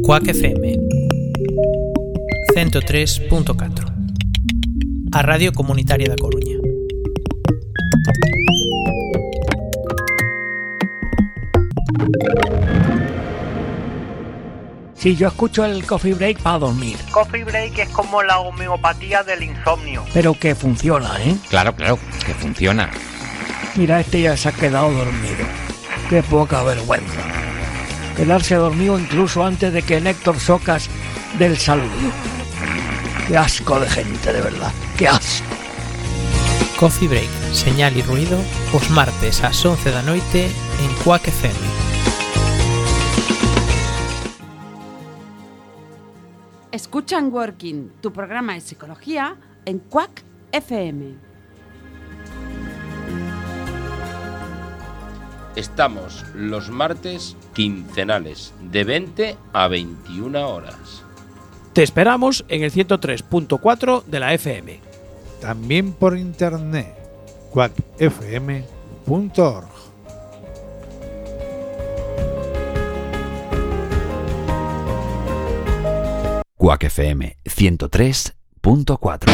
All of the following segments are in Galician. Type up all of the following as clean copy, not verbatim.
Cuac FM 103.4, a Radio Comunitaria da Coruña. Sí, yo escucho el Coffee Break para dormir. Coffee Break es como la homeopatía del insomnio. Pero que funciona, ¿eh? Claro, que funciona. Mira, este ya se ha quedado dormido. Qué poca vergüenza. Quedarse dormido incluso antes de que Néctor Socas dé el saludo. Qué asco de gente, de verdad. Qué asco. Coffee Break, señal e ruido, os martes ás 11 da noite en Cuac FM. Escuchan Working, tu programa de psicología en Cuac FM. Estamos los martes quincenales de 20 a 21 horas. Te esperamos en el 103.4 de la FM. También por internet, cuacfm.org. Cuac FM 103.4.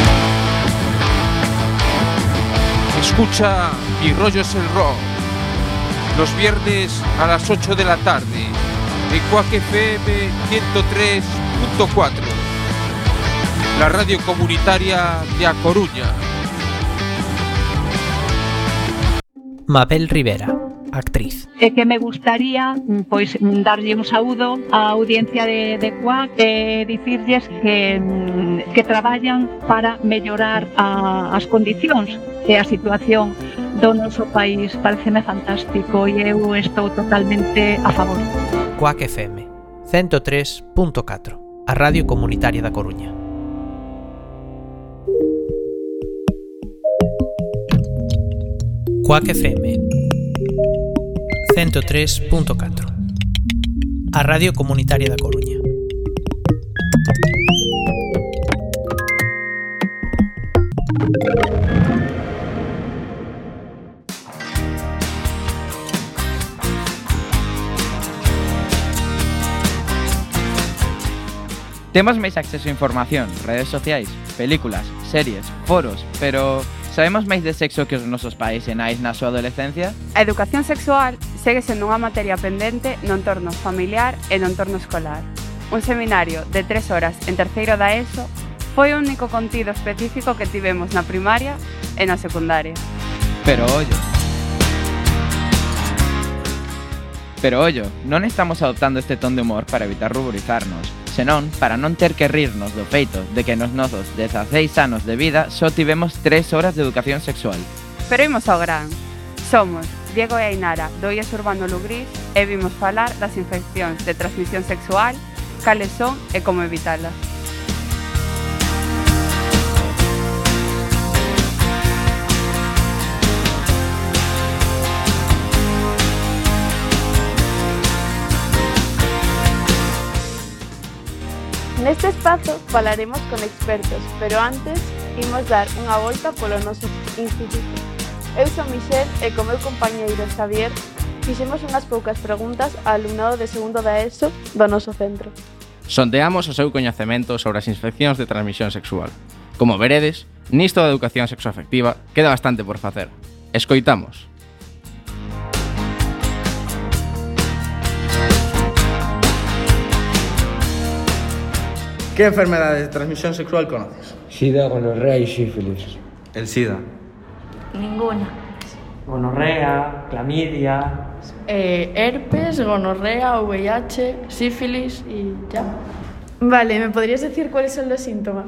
Escucha Mi Rollo es el Rock los viernes a las 8 de la tarde en Cuac FM 103.4, la radio comunitaria de A Coruña. Mabel Rivera, actriz. Que me gustaría pois darlle un saúdo á audiencia de Cuac e dicirlles que traballan para mellorar as condicións e a situación do noso país. Pareceme fantástico e eu estou totalmente a favor. Cuac FM 103.4, a radio comunitaria da Coruña. Cuac FM 103.4, a radio comunitaria da Coruña. Temos máis acceso a información, redes sociais, películas, series, foros, pero sabemos máis de sexo que os nosos pais e nais na súa adolescencia? A educación sexual segue sendo unha materia pendente no entorno familiar e no entorno escolar. Un seminario de 3 horas en terceiro da ESO foi o único contido específico que tivemos na primaria e na secundaria. Pero ollo, non estamos adoptando este ton de humor para evitar ruborizarnos, senón para non ter que rirnos do feito de que nos nosos 16 anos de vida só tivemos 3 horas de educación sexual. Pero imos ao gran. Somos Diego e Ainara do IES Urbano Lugrís e vimos falar das infeccións de transmisión sexual, cales son e como evitalas. Neste espazo falaremos con expertos, pero antes imos dar unha volta polo noso instituto. Eu son Michelle e co meu compañeiro Xavier fixemos unhas poucas preguntas ao alumnado de segundo da ESO do noso centro. Sondeamos o seu coñecemento sobre as infeccións de transmisión sexual. Como veredes, nisto da educación sexoafectiva queda bastante por facer. Escoitamos. ¿Qué enfermedades de transmisión sexual conoces? SIDA, gonorrea y sífilis. El SIDA. Ninguna. Gonorrea, clamidia... herpes, gonorrea, VIH, sífilis y ya. Vale, ¿me podrías decir cuáles son los síntomas?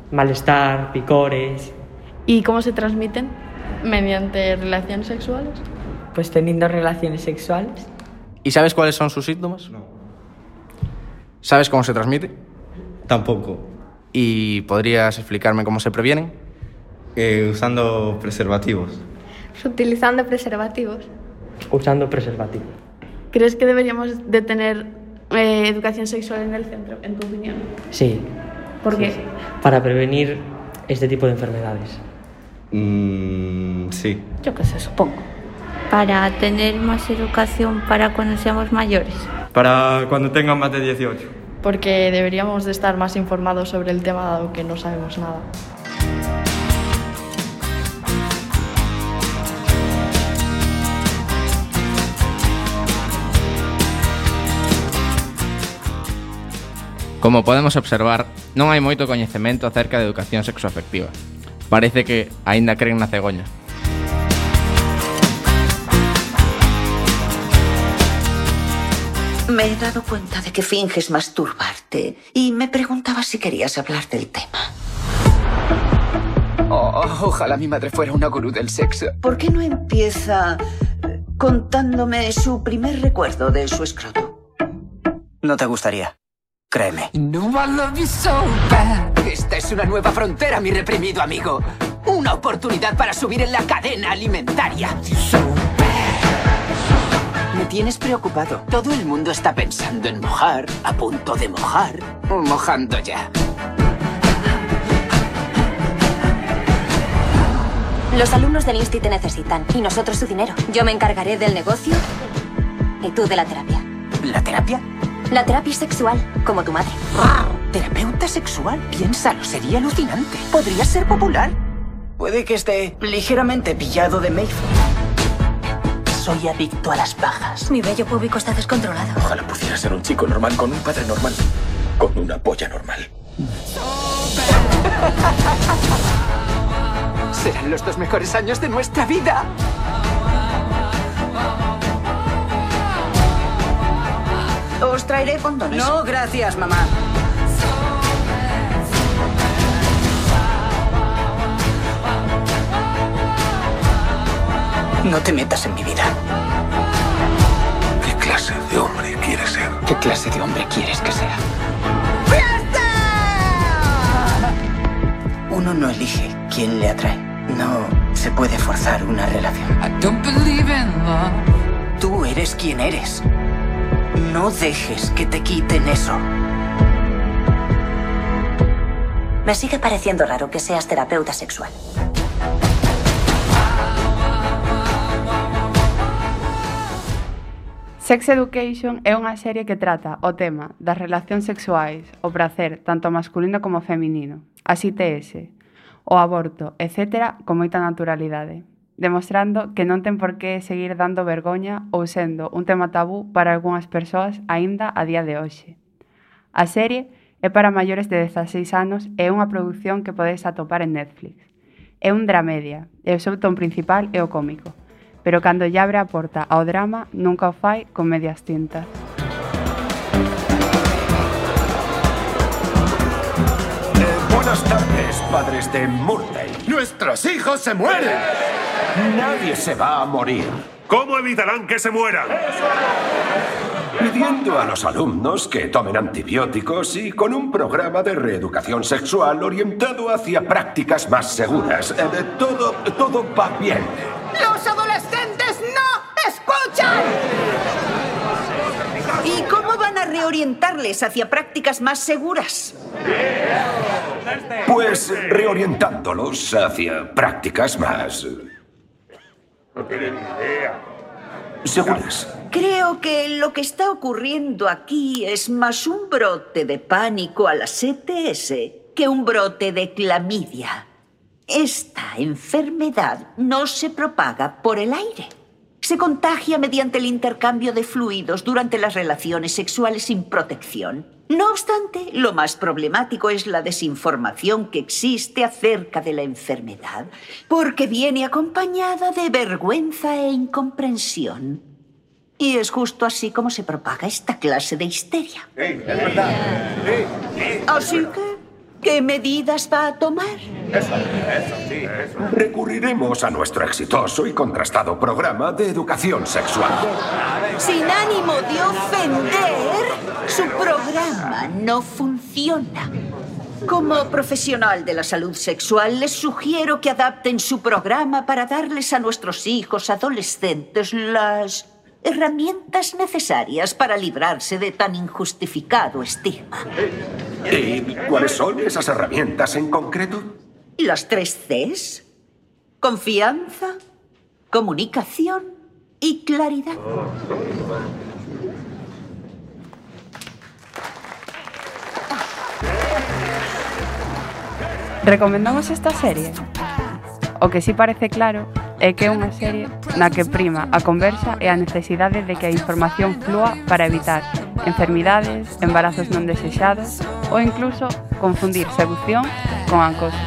Malestar, picores... ¿Y cómo se transmiten? Mediante relaciones sexuales. Pues teniendo relaciones sexuales. ¿Y sabes cuáles son sus síntomas? No. ¿Sabes cómo se transmite? Tampoco. ¿Y podrías explicarme cómo se previenen? Usando preservativos. Utilizando preservativos. Usando preservativos. ¿Crees que deberíamos de tener educación sexual en el centro, en tu opinión? Sí. ¿Por qué? Sí. Para prevenir este tipo de enfermedades. Sí. Yo qué sé, supongo. Para tener más educación para cuando seamos mayores. Para cuando tengan más de 18. Porque deberíamos de estar más informados sobre el tema dado que no sabemos nada. Como podemos observar, non hai moito coñecemento acerca de educación sexoafectiva. Parece que aínda creen na cegoña. Me he dado cuenta de que finges masturbarte y me preguntaba si querías hablar del tema. Ojalá mi madre fuera una gurú del sexo. ¿Por qué no empieza contándome su primer recuerdo de su escroto? No te gustaría. Créeme. No, I love you so bad. Esta es una nueva frontera, mi reprimido amigo. Una oportunidad para subir en la cadena alimentaria. Me tienes preocupado. Todo el mundo está pensando en mojar, a punto de mojar, o mojando ya. Los alumnos del Insti te necesitan y nosotros su dinero. Yo me encargaré del negocio y tú de la terapia. ¿La terapia? La terapia sexual, como tu madre. ¿Terapeuta sexual? Piénsalo, sería alucinante. Podría ser popular. Puede que esté ligeramente pillado de Mayfield. Soy adicto a las pajas. Mi vello púbico está descontrolado. Ojalá pudiera ser un chico normal con un padre normal. Con una polla normal. Serán los 2 mejores años de nuestra vida. Os traeré condones. No, gracias, mamá. No te metas en mi vida. ¿Qué clase de hombre quieres ser? ¿Qué clase de hombre quieres que sea? Uno no elige quién le atrae. No se puede forzar una relación. Tú eres quien eres. No dejes que te quiten eso. Me sigue pareciendo raro que seas terapeuta sexual. Sex Education é unha serie que trata o tema das relacións sexuais, o prazer, tanto masculino como feminino, as ITS, o aborto, etc., con moita naturalidade, demostrando que non ten por que seguir dando vergoña ou sendo un tema tabú para algunhas persoas aínda a día de hoxe. A serie é para maiores de 16 anos e é unha produción que podedes atopar en Netflix. É un dramedia e o seu ton principal é o cómico, pero cando lle abre a porta ao drama nunca o fai con medias tintas. Buenas tardes, padres de Murday. ¡Nuestros hijos se mueren! Nadie se va a morir. ¿Cómo evitarán que se mueran? Pidiendo a los alumnos que tomen antibióticos y con un programa de reeducación sexual orientado hacia prácticas más seguras. Todo va bien. ¡Los adolescentes no escuchan! ¿Y cómo van a reorientarles hacia prácticas más seguras? Pues reorientándolos hacia prácticas más seguras. Creo que lo que está ocurriendo aquí es más un brote de pánico a las ETS que un brote de clamidia. Esta enfermedad no se propaga por el aire. Se contagia mediante el intercambio de fluidos durante las relaciones sexuales sin protección. No obstante, lo más problemático es la desinformación que existe acerca de la enfermedad, porque viene acompañada de vergüenza e incomprensión. Y es justo así como se propaga esta clase de histeria. Es verdad. Así que, ¿qué medidas va a tomar? Eso. Recurriremos a nuestro exitoso y contrastado programa de educación sexual. Sin ánimo de ofender, su programa no funciona. Como profesional de la salud sexual, les sugiero que adapten su programa para darles a nuestros hijos adolescentes las herramientas necesarias para librarse de tan injustificado estigma. ¿Y cuáles son esas herramientas en concreto? Las 3 Cs: confianza, comunicación y claridad. Recomendamos esta serie? O que si parece claro é que é unha serie na que prima a conversa e a necesidade de que a información flúa para evitar enfermidades, embarazos non desexados ou incluso confundir seducción con acoso.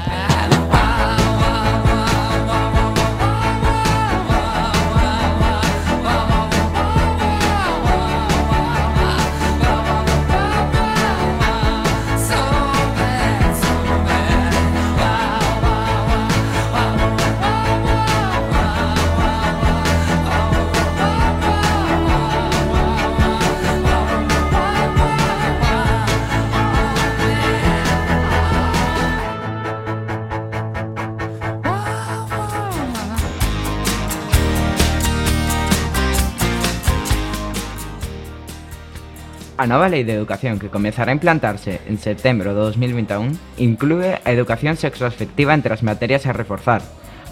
A nova Lei de Educación que comezará a implantarse en setembro de 2021 inclúe a educación sexoafectiva entre as materias a reforzar.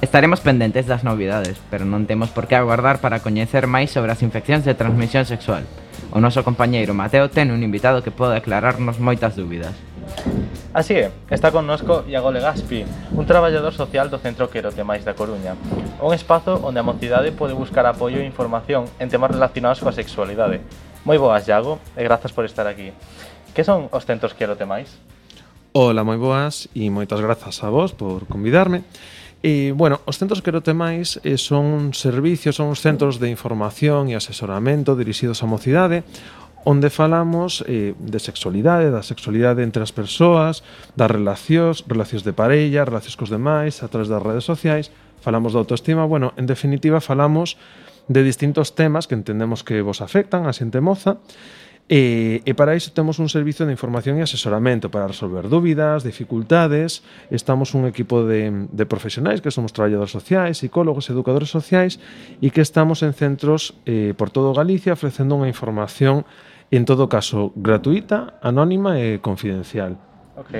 Estaremos pendentes das novidades, pero non temos por que aguardar para coñecer máis sobre as infeccións de transmisión sexual. O noso compañeiro Mateo ten un invitado que pode aclararnos moitas dúbidas. Así é, está connosco Iago Legaspi, un traballador social do Centro Querotemais da Coruña, un espazo onde a mocidade pode buscar apoio e información en temas relacionados coa sexualidade. Moi boas, Iago, e grazas por estar aquí. Que son os centros Querotemais? Ola, moi boas, e moitas grazas a vos por convidarme. Bueno, os centros Querotemais son servicios, son os centros de información e asesoramento dirixidos á mocidade, onde falamos de sexualidade, da sexualidade entre as persoas, das relacións de parella, relacións cos demais, a través das redes sociais, falamos da autoestima, bueno, en definitiva falamos de distintos temas que entendemos que vos afectan a xente moza, e para iso temos un servicio de información e asesoramento para resolver dúbidas, dificultades. Estamos un equipo de profesionais que somos traballadores sociais, psicólogos, educadores sociais, e que estamos en centros por todo Galicia ofrecendo unha información en todo caso gratuita, anónima e confidencial. Ok.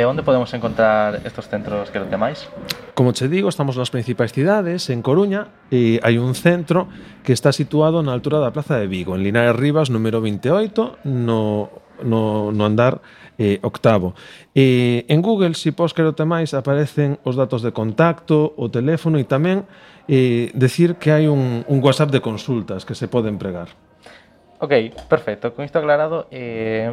Onde podemos encontrar estos centros Querotemais? Como che digo, estamos nas principais cidades. En Coruña hai un centro que está situado na altura da Plaza de Vigo, en Linares Rivas, número 28, no andar octavo. En Google, se pos Querotemais, aparecen os datos de contacto, o teléfono e tamén decir que hai un WhatsApp de consultas que se pode empregar. Ok, perfecto. Con isto aclarado,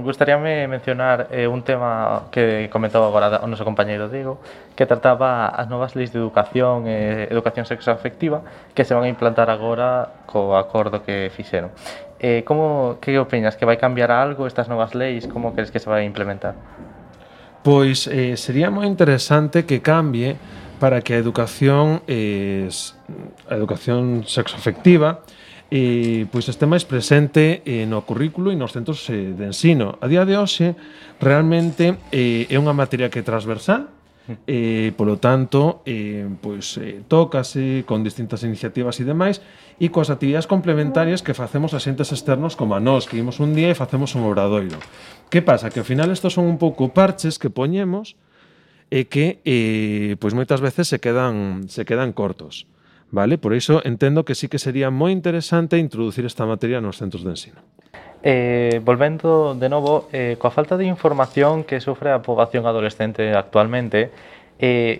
gustaríame mencionar un tema que comentou agora o noso compañeiro Diego, que trataba as novas leis de educación e educación sexoafectiva que se van a implantar agora co acordo que fixeron. Que opinas? Que vai cambiar algo estas novas leis? Como crees que se vai implementar? Pois sería moi interesante que cambie para que a educación sexoafectiva pois este máis presente no currículo e nos centros de ensino. A día de hoxe, realmente é unha materia que é transversal, polo tanto, tócase con distintas iniciativas e demais, e coas actividades complementarias que facemos a xentes externos como a nós, que imos un día e facemos un obradoiro. Que pasa? Que ao final estos son un pouco parches que poñemos e que moitas veces se quedan cortos. Vale? Por iso entendo que sí que sería moi interesante introducir esta materia nos centros de ensino. Volvendo de novo, coa falta de información que sofre a poboación adolescente actualmente,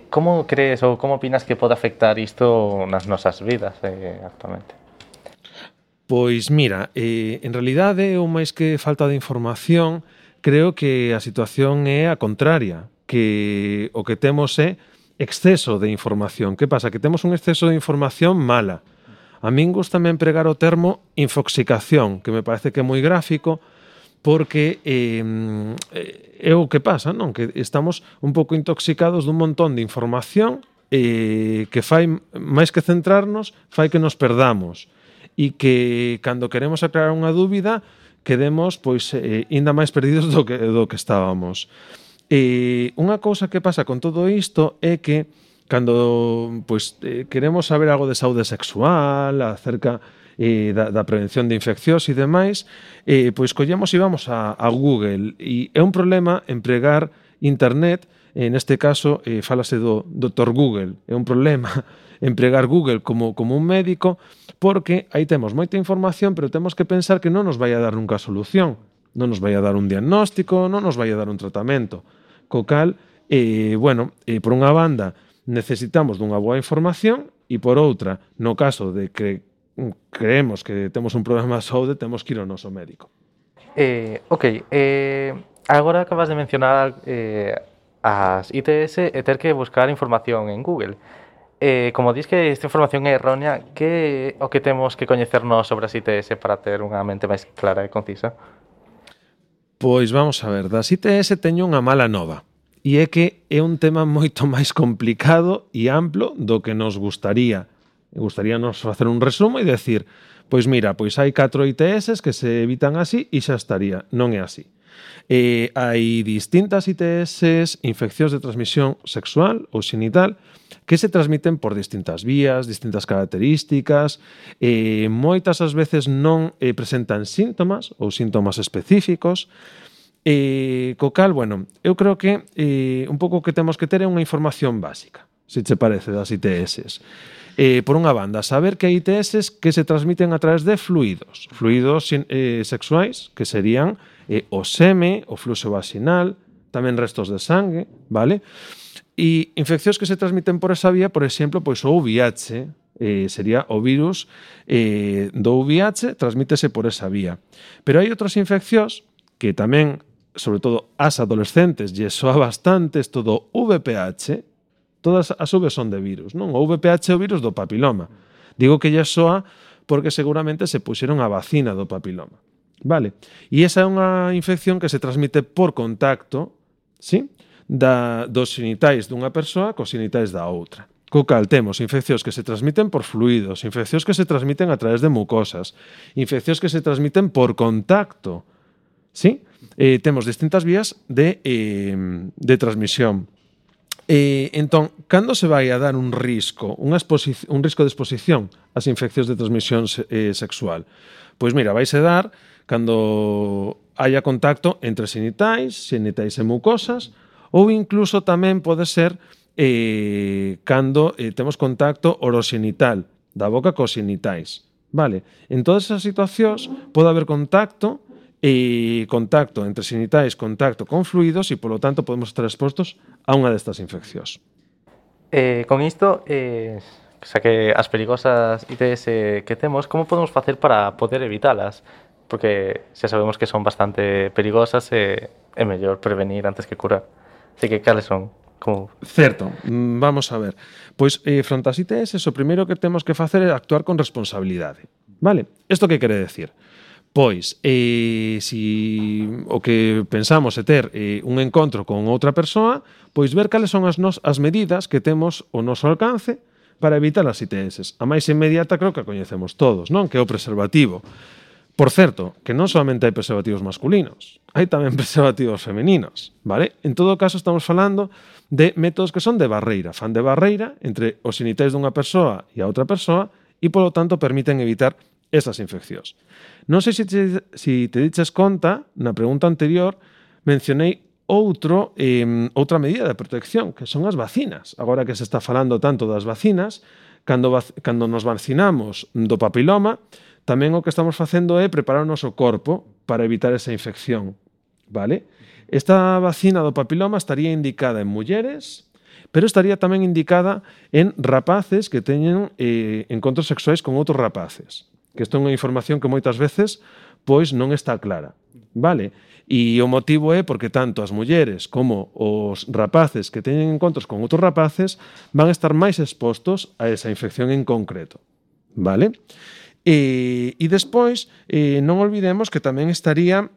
como crees ou como opinas que pode afectar isto nas nosas vidas actualmente? Pois mira, en realidade, ou máis que falta de información, creo que a situación é a contraria, que o que temos é exceso de información. Que pasa? Que temos un exceso de información mala. A min gustame empregar o termo infoxicación, que me parece que é moi gráfico, porque é o que pasa, non? Que estamos un pouco intoxicados dun montón de información que fai, máis que centrarnos, fai que nos perdamos. E que, cando queremos aclarar unha dúbida, quedemos, ainda máis perdidos do que estábamos. Unha cousa que pasa con todo isto é que cando queremos saber algo de saúde sexual, acerca da prevención de infeccións e demais, collemos e vamos a Google, e é un problema empregar internet, neste caso fálase do Dr. Google, é un problema empregar Google como un médico, porque aí temos moita información, pero temos que pensar que non nos vai a dar nunca a solución, non nos vai a dar un diagnóstico, non nos vai a dar un tratamento. Co cal, Por unha banda, necesitamos dunha boa información e por outra, no caso de que creemos que temos un problema de saúde, temos que ir ao noso médico. Agora acabas de mencionar as ITS e ter que buscar información en Google. Como dis que esta información é errónea, que o que temos que coñecernos sobre as ITS para ter unha mente máis clara e concisa? Pois vamos a ver, das ITS teño unha mala nova. E é que é un tema moito máis complicado e amplo do que nos gustaría. Gustaríanos facer un resumo e decir, pois mira, pois hai 4 ITS que se evitan así e xa estaría. Non é así. Hai distintas ITS, infeccións de transmisión sexual ou xenital, que se transmiten por distintas vías, distintas características, moitas as veces non presentan síntomas ou síntomas específicos, co cal, eu creo que un pouco que temos que ter é unha información básica, se che parece, das ITS. Por unha banda, saber que hai ITS que se transmiten a través de fluidos sexuais, que serían o seme, o fluxo vaginal, tamén restos de sangue, vale? E infeccións que se transmiten por esa vía, por exemplo, pois o VIH, sería o virus do VIH, transmítese por esa vía. Pero hai outras infeccións que tamén, sobre todo as adolescentes, lle soa bastante isto do VPH. Todas as V son de virus, non? O VPH é o virus do papiloma. Digo que lle soa porque seguramente se puxeron a vacina do papiloma. Vale? E esa é unha infección que se transmite por contacto, sí? Dos xenitais dunha persoa cos xenitais da outra. Co cal temos infeccións que se transmiten por fluidos, infeccións que se transmiten a través de mucosas, infeccións que se transmiten por contacto, sí? Temos distintas vías de transmisión. Entón, cando se vai a dar un risco de exposición ás infeccións de transmisión sexual? Pois mira, vaise dar cando haya contacto entre xenitais e mucosas, ou incluso tamén pode ser cando temos contacto oroxenital da boca cos xenitais. Vale? En todas esas situacións pode haber contacto entre xenitais, contacto con fluidos e, polo tanto, podemos estar expostos a unha destas infeccións. Con isto, xa que as perigosas ITS que temos, como podemos facer para poder evitalas? Porque xa sabemos que son bastante perigosas e é mellor prevenir antes que curar. Así que, cales son? Certo, vamos a ver. Pois, fronte ás ITS, o primeiro que temos que facer é actuar con responsabilidade. Vale? Isto que quere decir? Pois, se o que pensamos é ter un encontro con outra persoa, pois ver cales son as medidas que temos ao noso alcance para evitar as ITS. A máis inmediata creo que a coñecemos todos, non? Que é o preservativo. Por certo, que non solamente hai preservativos masculinos, hai tamén preservativos femeninos, vale? En todo caso, estamos falando de métodos que son de barreira, fan de barreira entre os xenitais dunha persoa e a outra persoa e, polo tanto, permiten evitar esas infeccións. Non sei se te diches conta, na pregunta anterior, mencionei outra medida de protección, que son as vacinas. Agora que se está falando tanto das vacinas, cando nos vacinamos do papiloma, tamén o que estamos facendo é preparar o noso corpo para evitar esa infección, vale? Esta vacina do papiloma estaría indicada en mulleres, pero estaría tamén indicada en rapaces que teñen encontros sexuais con outros rapaces. Que isto é unha información que moitas veces pois non está clara, vale? E o motivo é porque tanto as mulleres como os rapaces que teñen encontros con outros rapaces van a estar máis expostos a esa infección en concreto, vale? E despois, non olvidemos que tamén estaría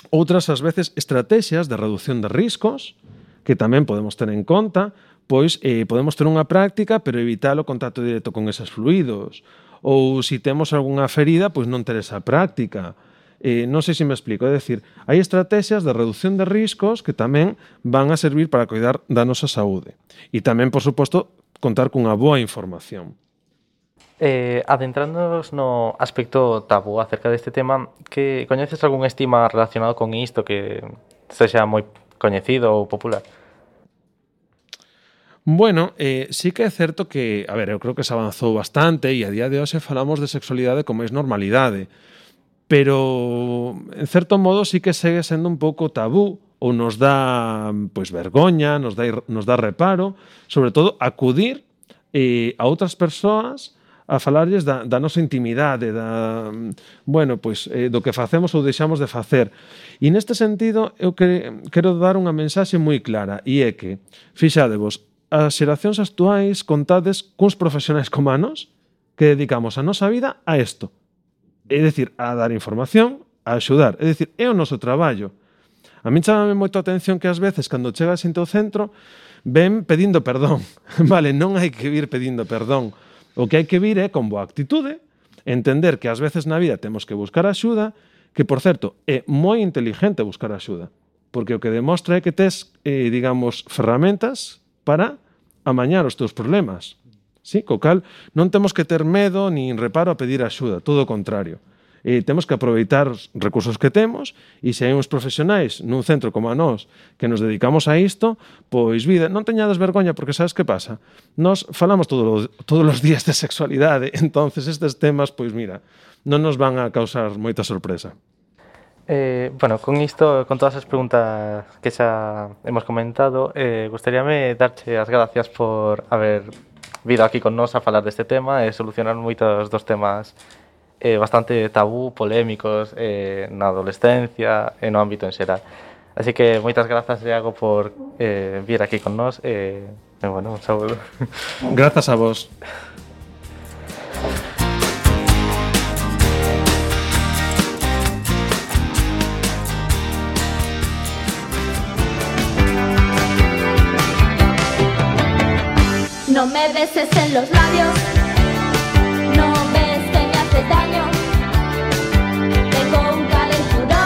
outras, ás veces, estrategias de reducción de riscos que tamén podemos ter en conta, pois podemos ter unha práctica pero evitar o contacto directo con esos fluidos, ou se temos algunha ferida, pois non ter esa práctica. Non sei se me explico, é dicir, hai estrategias de reducción de riscos que tamén van a servir para cuidar da nosa saúde. E tamén, por suposto, contar cunha boa información. Adentrándonos no aspecto tabú acerca deste tema, que coñeces algún estigma relacionado con isto que sexa moi coñecido ou popular? Bueno, sí que é certo que, a ver, eu creo que se avanzou bastante e a día de hoxe falamos de sexualidade con máis normalidade, pero en certo modo sí que segue sendo un pouco tabú ou nos dá pois vergoña, nos dá reparo, sobre todo acudir a outras persoas a falarlles da nosa intimidade, do que facemos ou deixamos de facer. E neste sentido, eu quero dar unha mensaxe moi clara, e é que, fixadevos, as xeracións actuais contades cuns profesionais como a nós que dedicamos a nosa vida a isto. É dicir, a dar información, a axudar. É dicir, é o noso traballo. A min chamame moito a atención que ás veces, cando chega xente ao centro, ven pedindo perdón. Vale, non hai que vir pedindo perdón. O que hai que vir é con boa actitude, entender que ás veces na vida temos que buscar axuda, que, por certo, é moi inteligente buscar axuda, porque o que demostra é que tes, digamos, ferramentas para amañar os teus problemas. Sí? Co cal, non temos que ter medo nin reparo a pedir axuda, todo o contrario. Temos que aproveitar os recursos que temos e se hai uns profesionais nun centro como a nós que nos dedicamos a isto, pois vida, non teñades vergoña porque sabes que pasa? Nos falamos todos os días de sexualidade, entonces estes temas, pois mira, non nos van a causar moita sorpresa. Con isto, con todas as preguntas que xa hemos comentado, gustaríame darche as gracias por haber vido aquí con nos a falar deste tema e solucionar moitos dos temas bastante tabú, polémicos na adolescencia e no ámbito en xeral. Así que moitas grazas, Iago, por vir aquí con nós e, un saúdo. Grazas a vos. No me beses en los labios, no ves que me haces daño. Tengo un calenturón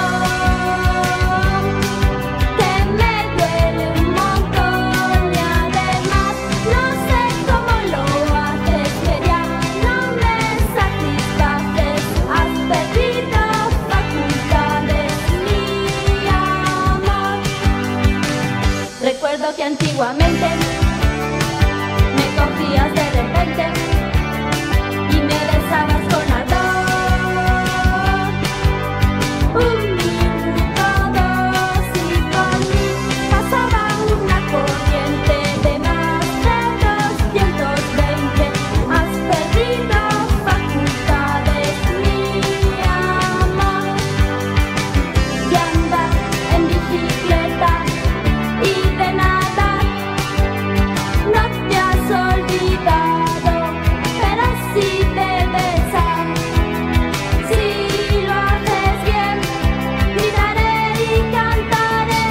que me duele un montón y además no sé cómo lo haces, que ya no me satisfaces. Has perdido facultades, mi amor. Recuerdo que antiguamente cogías de repente y me besabas con ardor. Un minuto, dos y por mí pasaba una corriente de más de 220. Has perdido facultades, mi amor. De andar en bicicleta y de nadar no te has olvidado, pero sí de besar. Si lo haces bien, gritaré y cantaré.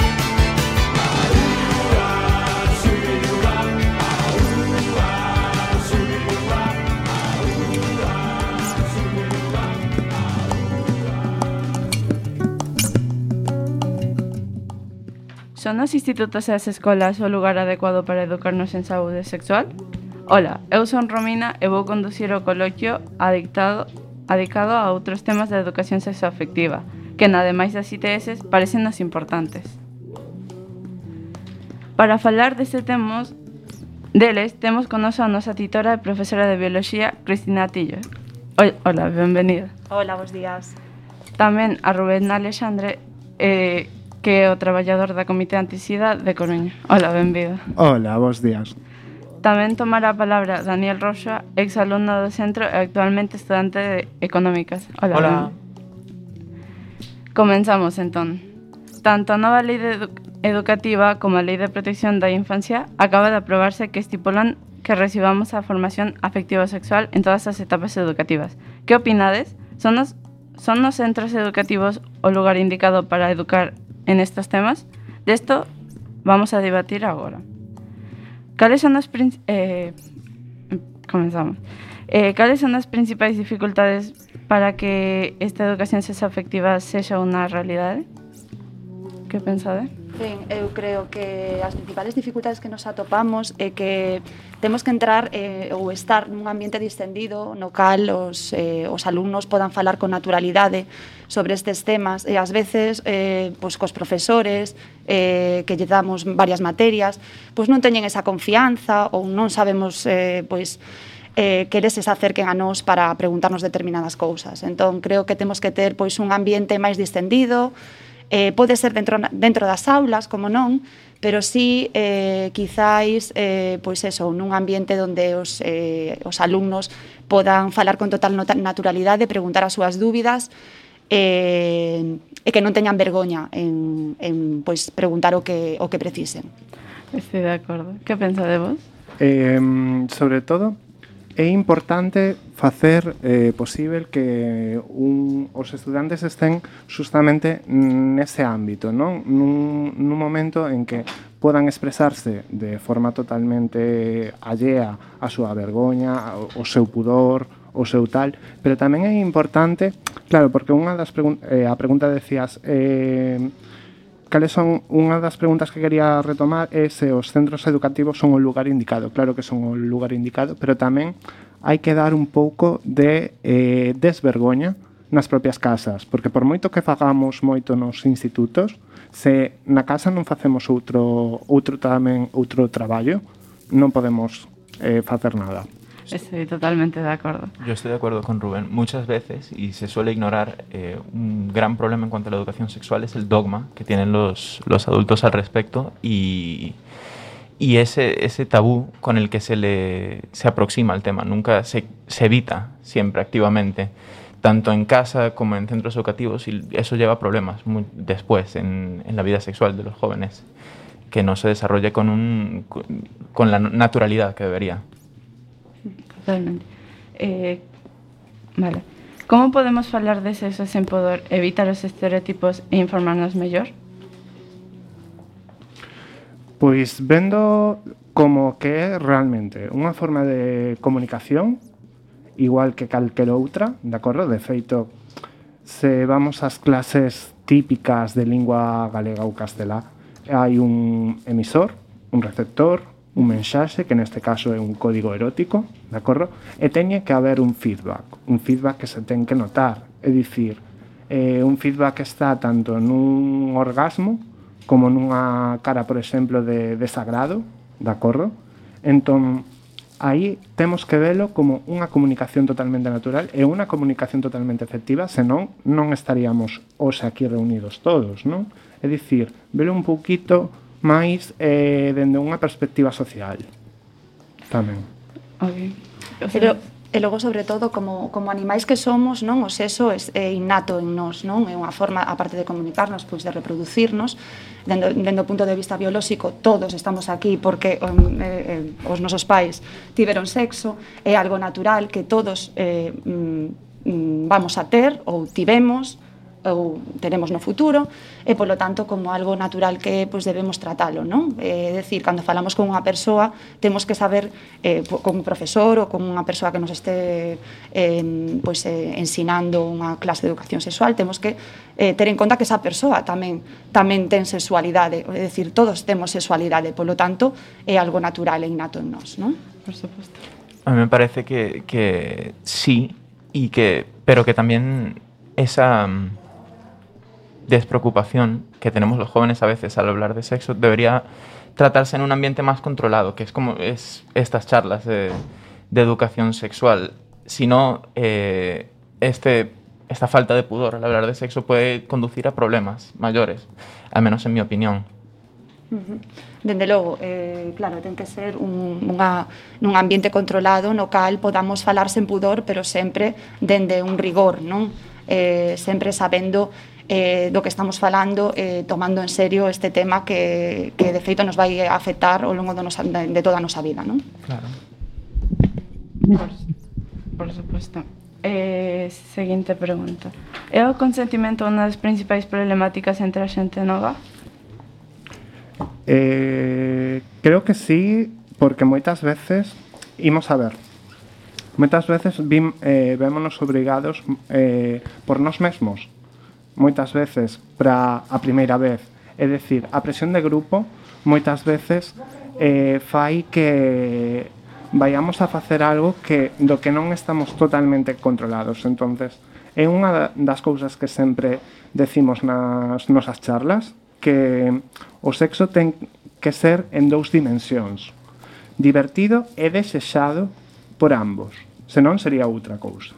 Son os institutos e as escolas o lugar adecuado para educarnos en saúde sexual? Ola, eu son Romina e vou conducir o coloquio adicado a outros temas da educación sexoafectiva, que ademais das ITS parecennos importantes. Para falar deles temos con nos a nosa titora e profesora de biología, Cristina Atillo. Ola, benvenida. Hola, bons días. Tamén a Rubén Alexandre, que é o traballador da Comité Antisida de Coruña. Hola, benvido. Hola, bons días. Tamén tomará a palabra Daniel Roxa, exalumno do centro e actualmente estudante de Económicas. Hola. Comenzamos, entón. Tanto a nova lei educativa como a lei de protección da infancia acaba de aprobarse que estipulan que recibamos a formación afectivo-sexual en todas as etapas educativas. Que opinades? Son os centros educativos o lugar indicado para educar en estos temas? De esto vamos a debatir agora. Cales son as principais dificultades para que esta educación sexoafectiva sexa unha realidade? Que pensade? Ben, eu creo que as principales dificultades que nos atopamos é que temos que entrar ou estar nun ambiente distendido no cal os alumnos podan falar con naturalidade sobre estes temas e ás veces pois cos profesores que lle damos varias materias pois non teñen esa confianza ou non sabemos pois que eles se acerquen a nós para preguntarnos determinadas cousas. Entón creo que temos que ter pois un ambiente máis distendido Pode ser dentro das aulas, como non, pero sí, quizáis, pois eso, nun ambiente onde os alumnos podan falar con total naturalidade, preguntar as súas dúbidas, e que non teñan vergoña en pois, preguntar o que precisen. Estou de acordo. Que pensa de vos? Sobre todo, é importante facer posible que os estudantes estén justamente nese ámbito, non? Nun momento en que podan expresarse de forma totalmente allea a súa vergoña, o seu pudor, o seu tal, pero tamén é importante, claro, porque unha das a pregunta decías, cales son unha das preguntas que quería retomar é se os centros educativos son o lugar indicado. Claro que son o lugar indicado, pero tamén hai que dar un pouco de desvergoña nas propias casas, porque por moito que fagamos moito nos institutos, se na casa non facemos outro traballo, non podemos facer nada. Estoy totalmente de acuerdo. Yo estoy de acuerdo con Rubén. Muchas veces, y se suele ignorar, un gran problema en cuanto a la educación sexual es el dogma que tienen los adultos al respecto y ese tabú con el que se aproxima al tema. Nunca se evita siempre activamente, tanto en casa como en centros educativos, y eso lleva a problemas después en la vida sexual de los jóvenes, que no se desarrolle con la naturalidad que debería. Totalmente. Vale. Como podemos falar de sexo sen poder evitar os estereotipos e informarnos mellor? Pois vendo como que é realmente unha forma de comunicación igual que calquer outra, de acordo? De feito, se vamos ás clases típicas de lingua galega ou castelá, hai un emisor, un receptor, un mensaxe, que neste caso é un código erótico, de acordo? E teñe que haber un feedback que se ten que notar, é dicir, un feedback que está tanto nun orgasmo como nunha cara, por exemplo, de desagrado, de acordo? Entón, aí temos que velo como unha comunicación totalmente natural e unha comunicación totalmente efectiva, senón non estaríamos hoxe aquí reunidos todos, non? É dicir, velo un pouquito máis dende unha perspectiva social tamén. E logo, sobre todo, como animais que somos, non, o sexo é innato en nós, non? É unha forma, aparte de comunicarnos, pois de reproducirnos, dende o punto de vista biolóxico, todos estamos aquí porque os nosos pais tiveron sexo, é algo natural que todos vamos a ter ou tivemos ou teremos no futuro, e polo tanto como algo natural que pois debemos tratalo, non? É dicir, cando falamos con unha persoa temos que saber, con un profesor ou con unha persoa que nos este ensinando unha clase de educación sexual, temos que ter en conta que esa persoa tamén ten sexualidade, é dicir, todos temos sexualidade, polo tanto é algo natural e innato en nós, non? Por suposto. A mí me parece que sí, pero que también esa despreocupación que tenemos los jóvenes a veces al hablar de sexo debería tratarse en un ambiente más controlado, que es como estas charlas de educación sexual. Si no, esta falta de pudor al hablar de sexo puede conducir a problemas mayores, al menos en mi opinión. Dende logo, claro, ten que ser nun ambiente controlado no cal podamos falar sen pudor, pero sempre dende un rigor, non? Sempre sabendo do que estamos falando, tomando en serio este tema que de feito nos vai afectar ao longo de toda a nosa vida, non? Claro. Por suposto. Seguinte pregunta. É o consentimento unha das principais problemáticas entre a xente nova? Creo que sí, porque moitas veces imos a ver. Moitas veces vémonos obrigados por nós mesmos. Moitas veces para a primeira vez, é dicir, a presión de grupo moitas veces fai que vayamos a facer algo do que non estamos totalmente controlados. Entonces, é unha das cousas que sempre decimos nas nosas charlas, que o sexo ten que ser en dous dimensións, divertido e desexado por ambos, senón sería outra cousa.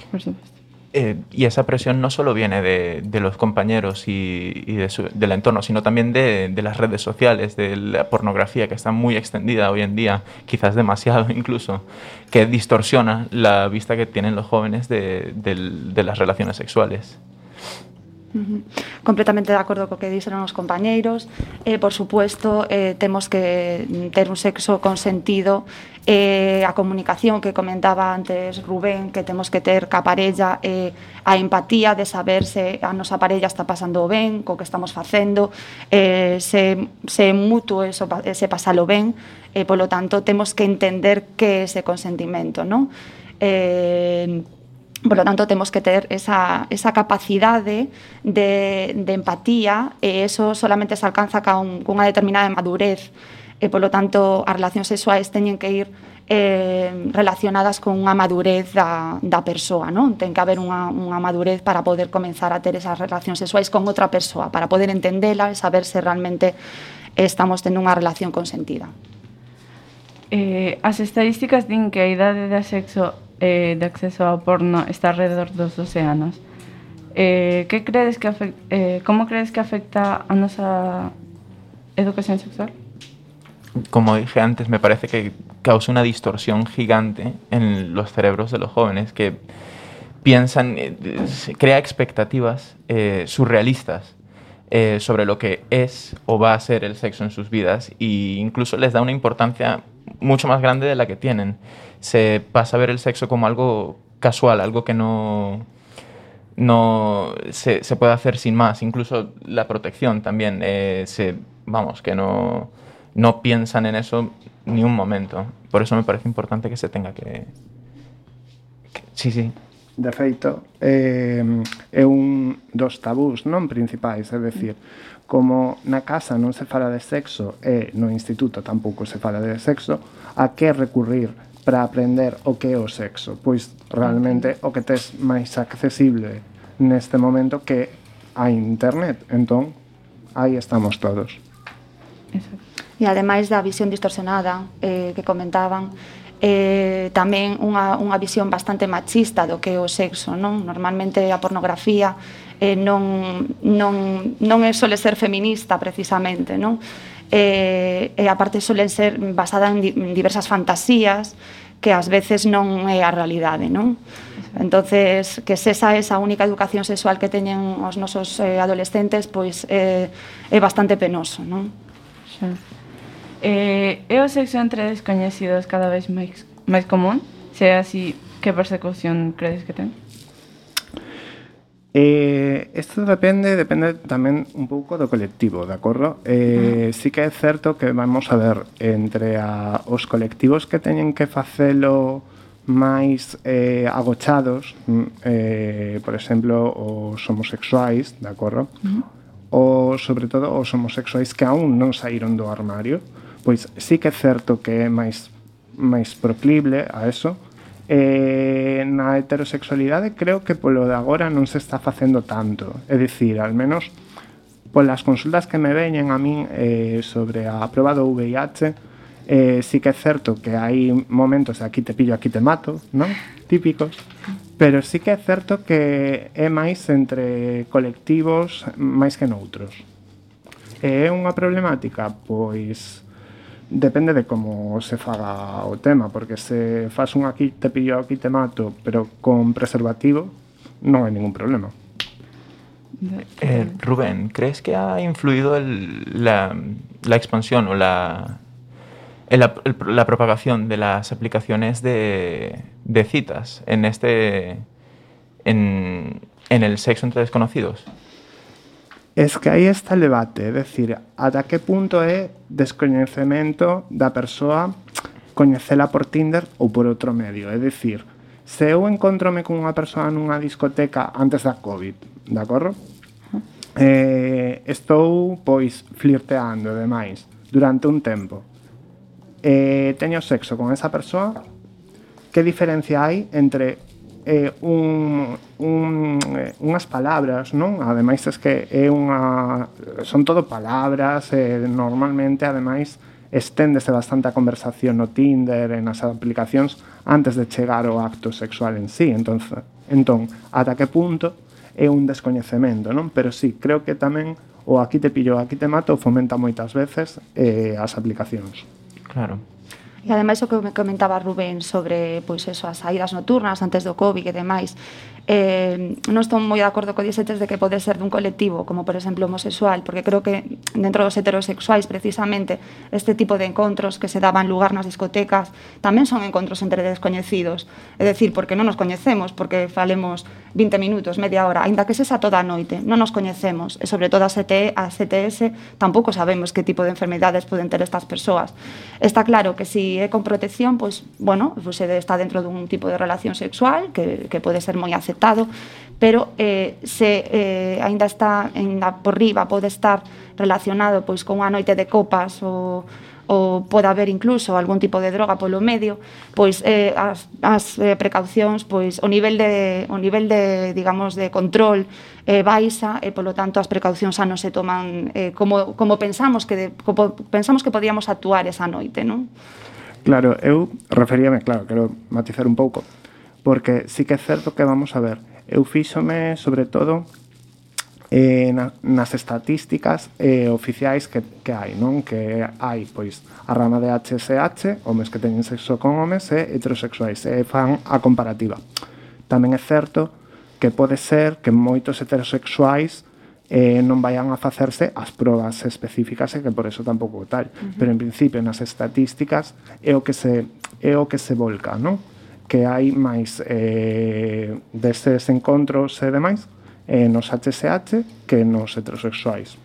Por suposto. y esa presión no solo viene de los compañeros y del entorno, sino también de las redes sociales, de la pornografía que está muy extendida hoy en día, quizás demasiado incluso, que distorsiona la vista que tienen los jóvenes de las relaciones sexuales. Completamente de acordo co que dixeron os compañeiros. Por supuesto, temos que ter un sexo consentido, a comunicación que comentaba antes Rubén, que temos que ter ca parella, a empatía de saber se a nosa parella está pasando ben co que estamos facendo, se mutuo ese pasalo ben, polo tanto temos que entender que é ese consentimento, non? Por lo tanto, temos que ter esa capacidade de empatía, e eso solamente se alcanza cunha determinada madurez. Por lo tanto, as relacións sexuais teñen que ir relacionadas con unha madurez da persoa, non? Ten que haber unha madurez para poder comenzar a ter esas relacións sexuais con outra persoa, para poder entendela e saber se realmente estamos tendo unha relación consentida. As estadísticas din que a idade de acceso ao porno está alrededor dos 12 anos. Como credes que afecta a nosa educación sexual? Como dije antes, me parece que causa una distorsión gigante en los cerebros de los jóvenes que piensan, crea expectativas surrealistas sobre lo que es o va a ser el sexo en sus vidas, e incluso les da una importancia mucho más grande de la que tienen. Se pasa a ver el sexo como algo casual, algo que no se puede hacer sin más. Incluso la protección también, que no piensan en eso ni un momento. Por eso me parece importante que se tenga que... Sí. De feito, é un dos tabús non principais, é dicir, como na casa non se fala de sexo e no instituto tampouco se fala de sexo, a que recurrir para aprender o que é o sexo? Pois realmente o que tes máis accesible neste momento que a internet, entón aí estamos todos. E ademais da visión distorsionada que comentaban, tamén unha visión bastante machista do que é o sexo, non? Normalmente a pornografía non sole ser feminista precisamente, non? E aparte solen ser basada en diversas fantasías que ás veces non é a realidade, non? Entonces, que se esa única educación sexual que teñen os nosos adolescentes, pois é bastante penoso, non? É o sexo entre descoñecidos cada vez máis común? Se é así, que persecución credes que ten? Isto depende tamén un pouco do colectivo, de acordo? Sí que é certo que vamos a ver entre os colectivos que teñen que facelo máis agochados, por exemplo, os homosexuais, de acordo? Ou, sobre todo, os homosexuais que aún non saíron do armario, pois sí que é certo que é máis proclible a eso. Na heterosexualidade creo que polo de agora non se está facendo tanto, é dicir, al menos polas consultas que me veñen a min sobre a proba do VIH, sí que é certo que hai momentos de aquí te pillo, aquí te mato, non? Típicos, pero sí que é certo que é máis entre colectivos máis que noutros. É unha problemática? Pois depende de como se faga o tema, porque se faz un aquí te pillo, aquí te mato, pero con preservativo, non hai ningún problema. Rubén, ¿crees que ha influido la expansión o la propagación de las aplicaciones de citas en el sexo entre desconocidos? Es que aí está el debate, é dicir, ata que punto é descoñecemento da persoa coñecela por Tinder ou por outro medio. É dicir, se eu encontrome con unha persoa nunha discoteca antes da COVID, de acordo? Estou, pois, flirteando e demais durante un tempo. Teño sexo con esa persoa, que diferencia hai entre unhas palabras, non? Ademais es que son todo palabras, normalmente ademais esténdese bastante a conversación no Tinder, nas aplicacións antes de chegar ao acto sexual en sí. Entón, ata que punto é un descoñecemento, non? Pero sí, creo que tamén o aquí te pillo, aquí te mato fomenta moitas veces as aplicacións. Claro. E ademais o que me comentaba Rubén sobre pois eso, as saídas nocturnas antes do Covid e demais, non estou moi de acordo co dixetes de que pode ser dun colectivo como por exemplo homosexual, porque creo que dentro dos heterosexuais precisamente este tipo de encontros que se daban lugar nas discotecas tamén son encontros entre descoñecidos, é dicir, porque non nos coñecemos, porque falemos 20 minutos, media hora, aínda que sexa toda a noite, non nos coñecemos e sobre todo a CTS tampouco sabemos que tipo de enfermedades poden ter estas persoas. Está claro que si é con protección, pois, bueno, pois está dentro dun tipo de relación sexual que pode ser moi aceptado, pero se aínda está por riba, pode estar relacionado pois con unha noite de copas ou pode haber incluso algún tipo de droga polo medio, pois as precaucións, pois o nivel de digamos de control baixa e polo tanto as precaucións xa non se toman como pensamos que podíamos actuar esa noite, non? Claro, eu referíame, claro, quero matizar un pouco, porque sí que é certo que vamos a ver, eu fíxome sobre todo nas estatísticas oficiais que hai, non? Que hai, pois, a rama de HSH, homes que teñen sexo con homes e heterosexuais, e fan a comparativa. Tamén é certo que pode ser que moitos heterosexuais non vayan a facerse as probas específicas e que por eso tampouco tal. Pero en principio nas estatísticas é o que se volca, non? Que hai máis destes encontros e demais nos HSH que nos heterosexuais.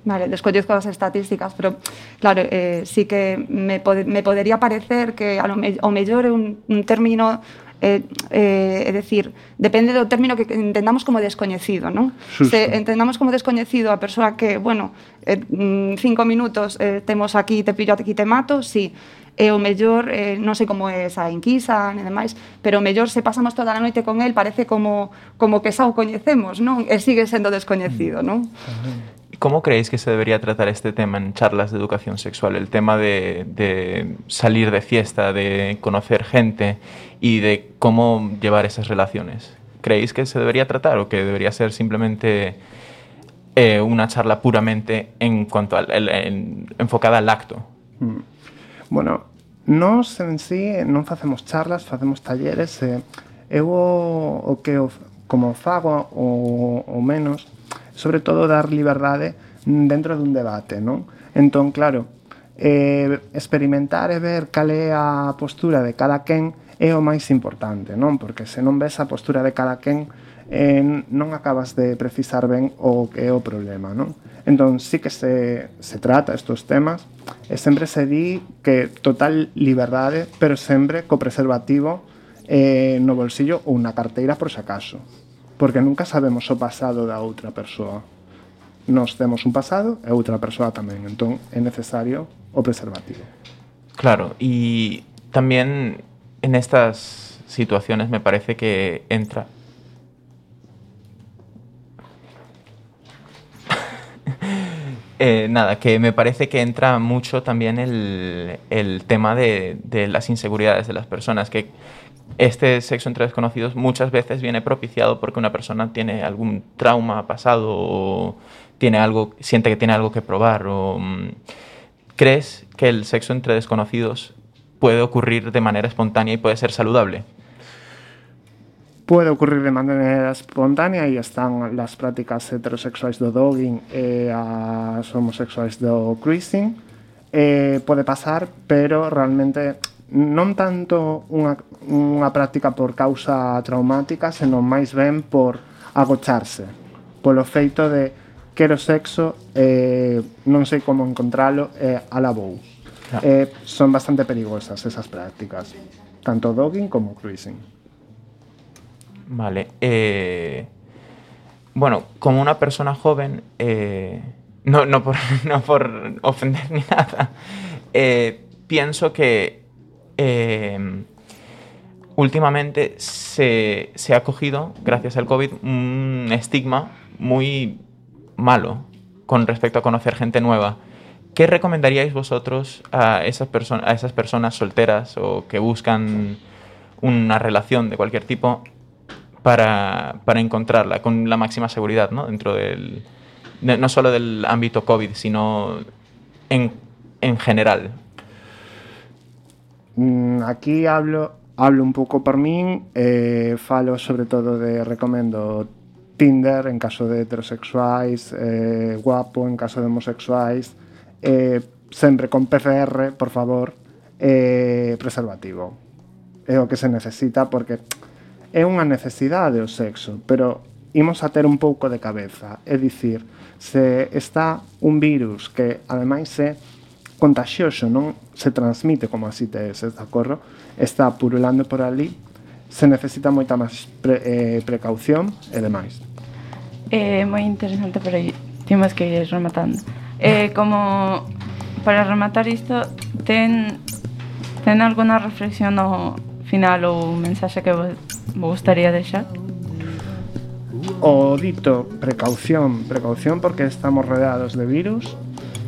Vale, descoñezco as estatísticas, pero claro, sí que me podería parecer que ao mellor é un término é dicir, depende do término que entendamos como descoñecido, non? Se entendamos como descoñecido a persoa que, bueno, 5 minutos temos aquí, te pillo aquí, te mato, sí, e o mellor, non sei como é esa enquisa e demais, pero o mellor se pasamos toda a noite con el parece como que xa o coñecemos, non? E sigue sendo descoñecido, non? ¿Cómo creéis que se debería tratar este tema en charlas de educación sexual? El tema de salir de fiesta, de conocer gente y de cómo llevar esas relaciones. ¿Creéis que se debería tratar o que debería ser simplemente una charla puramente en cuanto enfocada al acto? Bueno, nós en sí non facemos charlas, facemos talleres. Eu o que como fago o menos, sobre todo dar liberdade dentro dun debate, non? Entón, claro, experimentar e ver cal é a postura de cada quen é o máis importante, non? Porque se non ves a postura de cada quen non acabas de precisar ben o que é o problema, non? Entón, sí que se trata estes temas e sempre se di que total liberdade, pero sempre co preservativo no bolsillo ou na carteira por si acaso, porque nunca sabemos o pasado da outra persoa. Nós temos un pasado e outra persoa tamén, entón é necesario o preservativo. Claro, y también en estas situaciones me parece que entra que me parece que entra mucho también el tema de las inseguridades de las personas, que este sexo entre desconocidos muchas veces viene propiciado porque una persona tiene algún trauma pasado o siente que tiene algo que probar. ¿Crees que el sexo entre desconocidos puede ocurrir de manera espontánea y puede ser saludable? Puede ocurrir de manera espontánea e están las prácticas heterosexuais do dogging e as homosexuais do cruising. Pode pasar, pero realmente non tanto unha práctica por causa traumática, senón máis ben por agocharse, polo feito de quero sexo, non sei como encontralo, alabou. Son bastante perigosas esas prácticas, tanto dogging como cruising. Vale. Bueno, como una persona joven, no por ofender ni nada, pienso que últimamente se ha cogido, gracias al COVID, un estigma muy malo con respecto a conocer gente nueva. ¿Qué recomendaríais vosotros a esas personas solteras o que buscan una relación de cualquier tipo para encontrarla con la máxima seguridad, ¿no? Dentro no solo del ámbito COVID, sino en general. Aquí hablo un pouco por min, falo sobre todo recomendo Tinder en caso de heterosexuais, Guapo en caso de homosexuais, sempre con PCR, por favor, preservativo. É o que se necesita porque é unha necesidade o sexo, pero imos a ter un pouco de cabeza, é dicir, se está un virus que ademais é contagioso, non se transmite como as ITS, de acordo? Está purulando por ali, se necesita moita máis precaución e demais. Moi interesante, pero temos que ir rematando. Como para rematar isto, ten alguna reflexión no final ou mensaxe que vos gustaría deixar? O dito, precaución porque estamos rodeados de virus,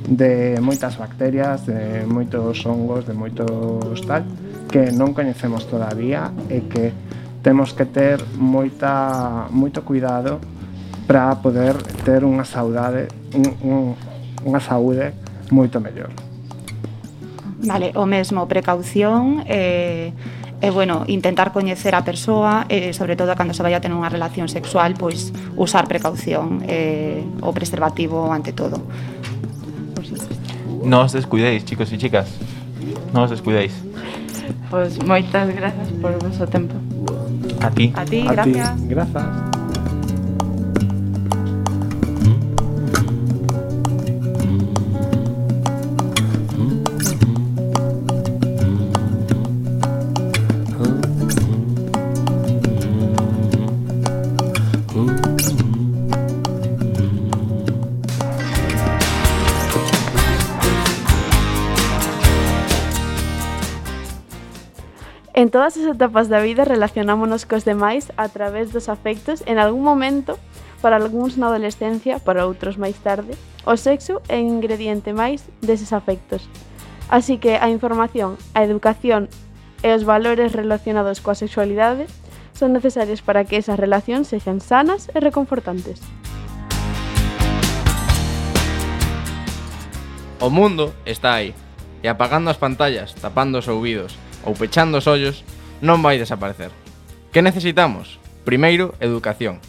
de moitas bacterias, de moitos hongos, de moitos tal, que non coñecemos todavía e que temos que ter moito cuidado para poder ter unha saúde moito mellor. Vale, o mesmo, precaución e bueno, intentar coñecer a persoa e sobre todo cando se vai a ter unha relación sexual, pois usar precaución, o preservativo ante todo. No os descuidéis, chicos y chicas. No os descuidéis. Pois moitas grazas por o vosso tempo. A ti. A ti, gracias. Grazas. En todas as etapas da vida relacionámonos cos demais a través dos afectos. En algún momento, para algúns na adolescencia, para outros máis tarde, o sexo é un ingrediente máis deses afectos. Así que a información, a educación e os valores relacionados coa sexualidade son necesarios para que esas relacións sexan sanas e reconfortantes. O mundo está aí, e apagando as pantallas, tapando os ouvidos ou pechando os ollos, non vai desaparecer. Que necesitamos? Primeiro, educación,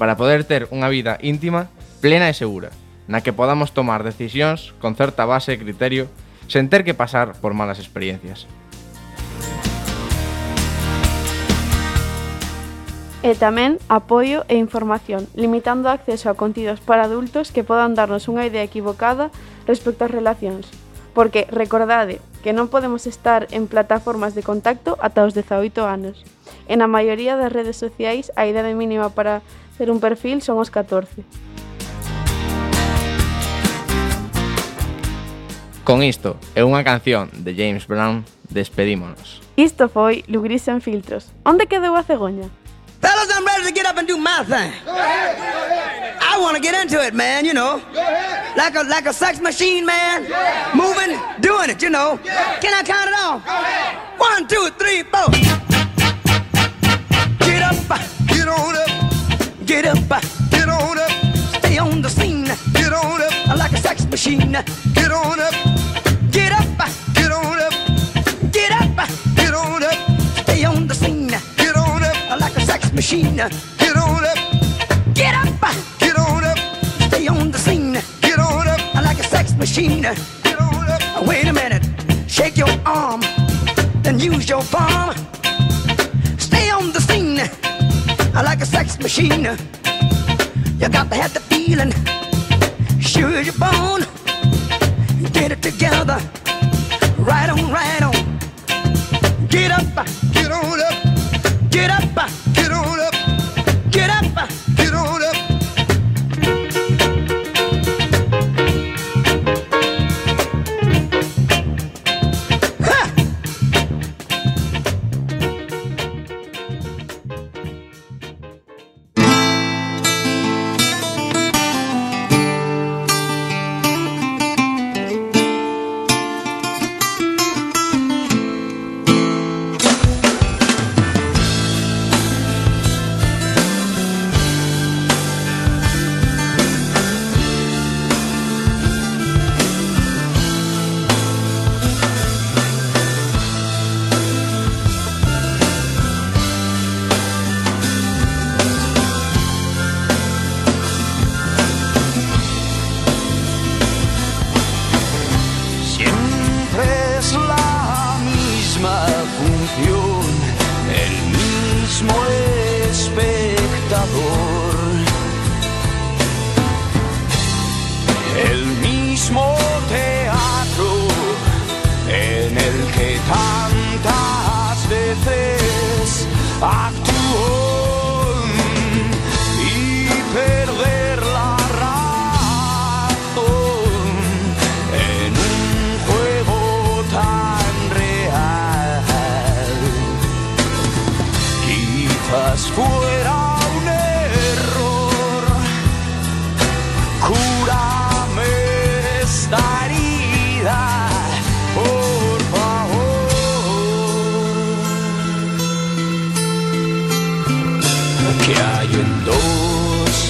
para poder ter unha vida íntima, plena e segura, na que podamos tomar decisións con certa base e criterio, sen ter que pasar por malas experiencias. E tamén apoio e información, limitando o acceso a contidos para adultos que podan darnos unha idea equivocada respecto ás relacións. Porque, recordade, que non podemos estar en plataformas de contacto ata os 18 anos. En a maioría das redes sociais, a idade mínima para ter un perfil son os 14. Con isto e unha canción de James Brown, despedímonos. Isto foi Lugris en filtros. Onde quedou a cegoña? Fellas, I'm ready to get up and do my thing. I want to get into it, man, you know. Like a sex machine, man. Moving, doing it, you know. Can I count it off? 1, 2, 3, 4. Get up, get on up. Get up, get on up. Stay on the scene. Get on up. Like a sex machine. Get on up. Get up, get on up. Get up, get on up. Stay on the scene. Get on up. Like a sex machine. Get on up. Get up, get on up. Stay on the scene. Get on up. Like a sex machine. Get on up. Wait a minute. Shake your arm. Then use your palm. Stay on the scene. Like a sex machine. You got to have the feeling. Sure you're born. Get it together. Right on, right on. Get up, get on up. Get up, get on up. Get up, get on up.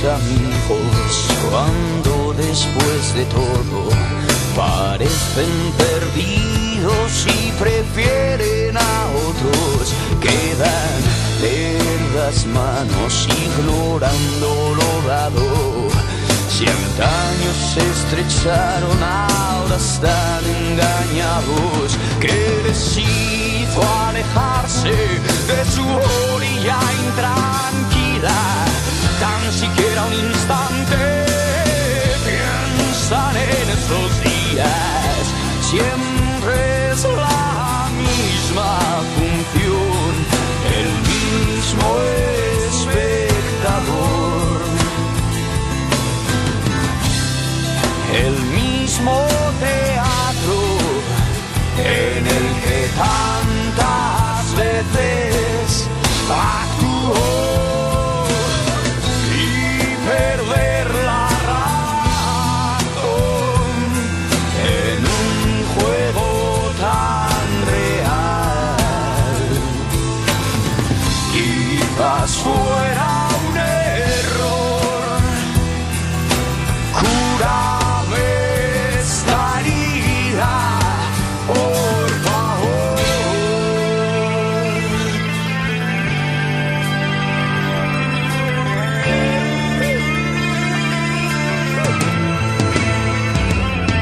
amigos cuando después de todo parecen perdidos y prefieren a otros? Quedan en las manos ignorando lo dado. Si antaños se estrecharon, ahora están engañados. Que decidió alejarse de su orilla intranquila, tan siquiera un instante piensan en esos días. Siempre es la misma función, el mismo espectador, el mismo teatro en el que tantas veces actuó, y perder la razón en un juego tan real. Quizás fuera un error, cúrame esta herida, por favor.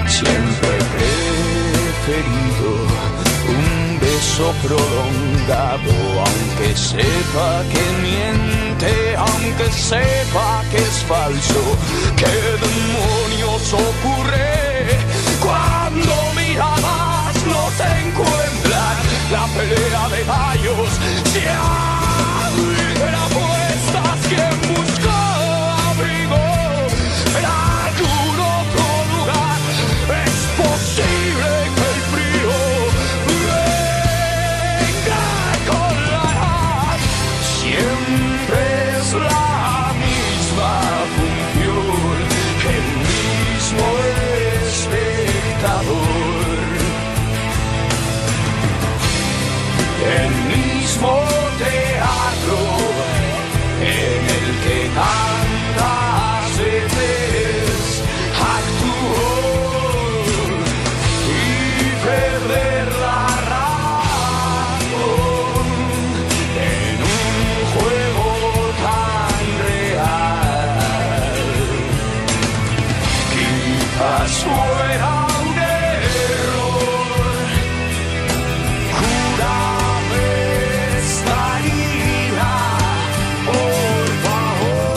Siempre he preferido un beso prolongado, aunque sepa que miente, aunque sepa que es falso. ¿Qué demonios ocurre cuando miradas no se encuentran? La pelea de gallos se abre a apuestas. Quien busca abrigo en algún otro lugar, es posible que el frío venga con la edad. Siempre es la misma función, el mismo espectador, el mismo teatro en el que tantas veces actuó, y perder la razón en un juego tan real. Quizás fuera un error, cúrame esta herida, por favor.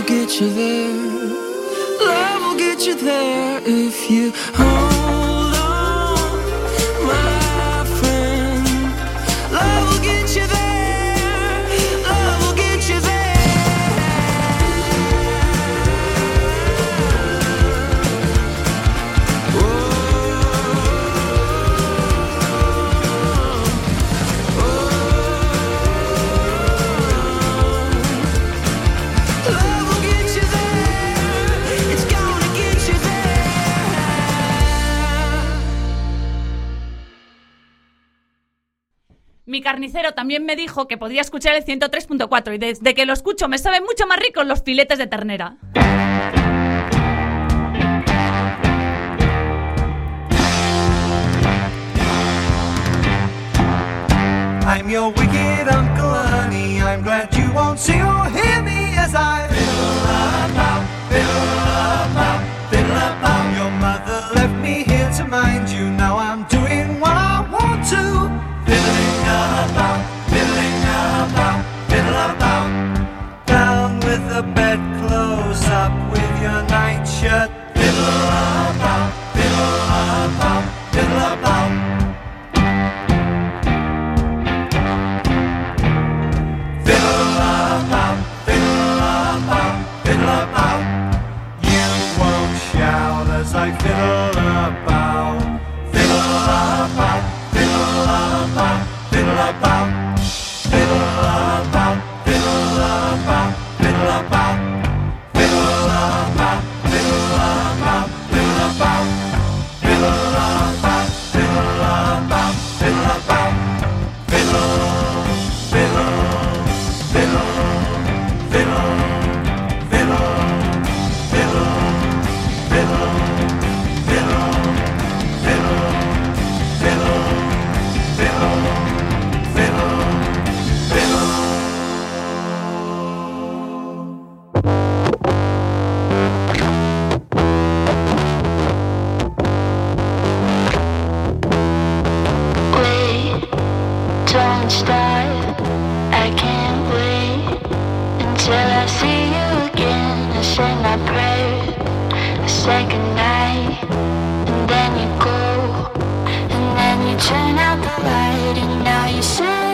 get you there. Love will get you there if you hold on, my friend. Love will get you there. Love will get you there. Mi carnicero también me dijo que podía escuchar el 103.4 y desde que lo escucho me saben mucho más ricos los filetes de ternera. I'm your wicked Uncle Ernie. I'm glad you won't see or hear me as I fiddle about, fiddle about. Your mother left me here to mind you. Now I'm doing what I want to. Fiddling about, fiddle about. Down with the bed, close up with your nightshirt. Fiddle about, fiddle about. I fiddle about, fiddle about, fiddle about, fiddle about, fiddle about, fiddle about, fiddle about, fiddle about, fiddle about, fiddle about, fiddle about, fiddle about, fiddle about, fiddle, fiddle, fiddle, fiddle, fiddle, fiddle. Don't stop, I can't wait until I see you again. I say my prayer, I say goodnight, and then you go, and then you turn out the light, and now you say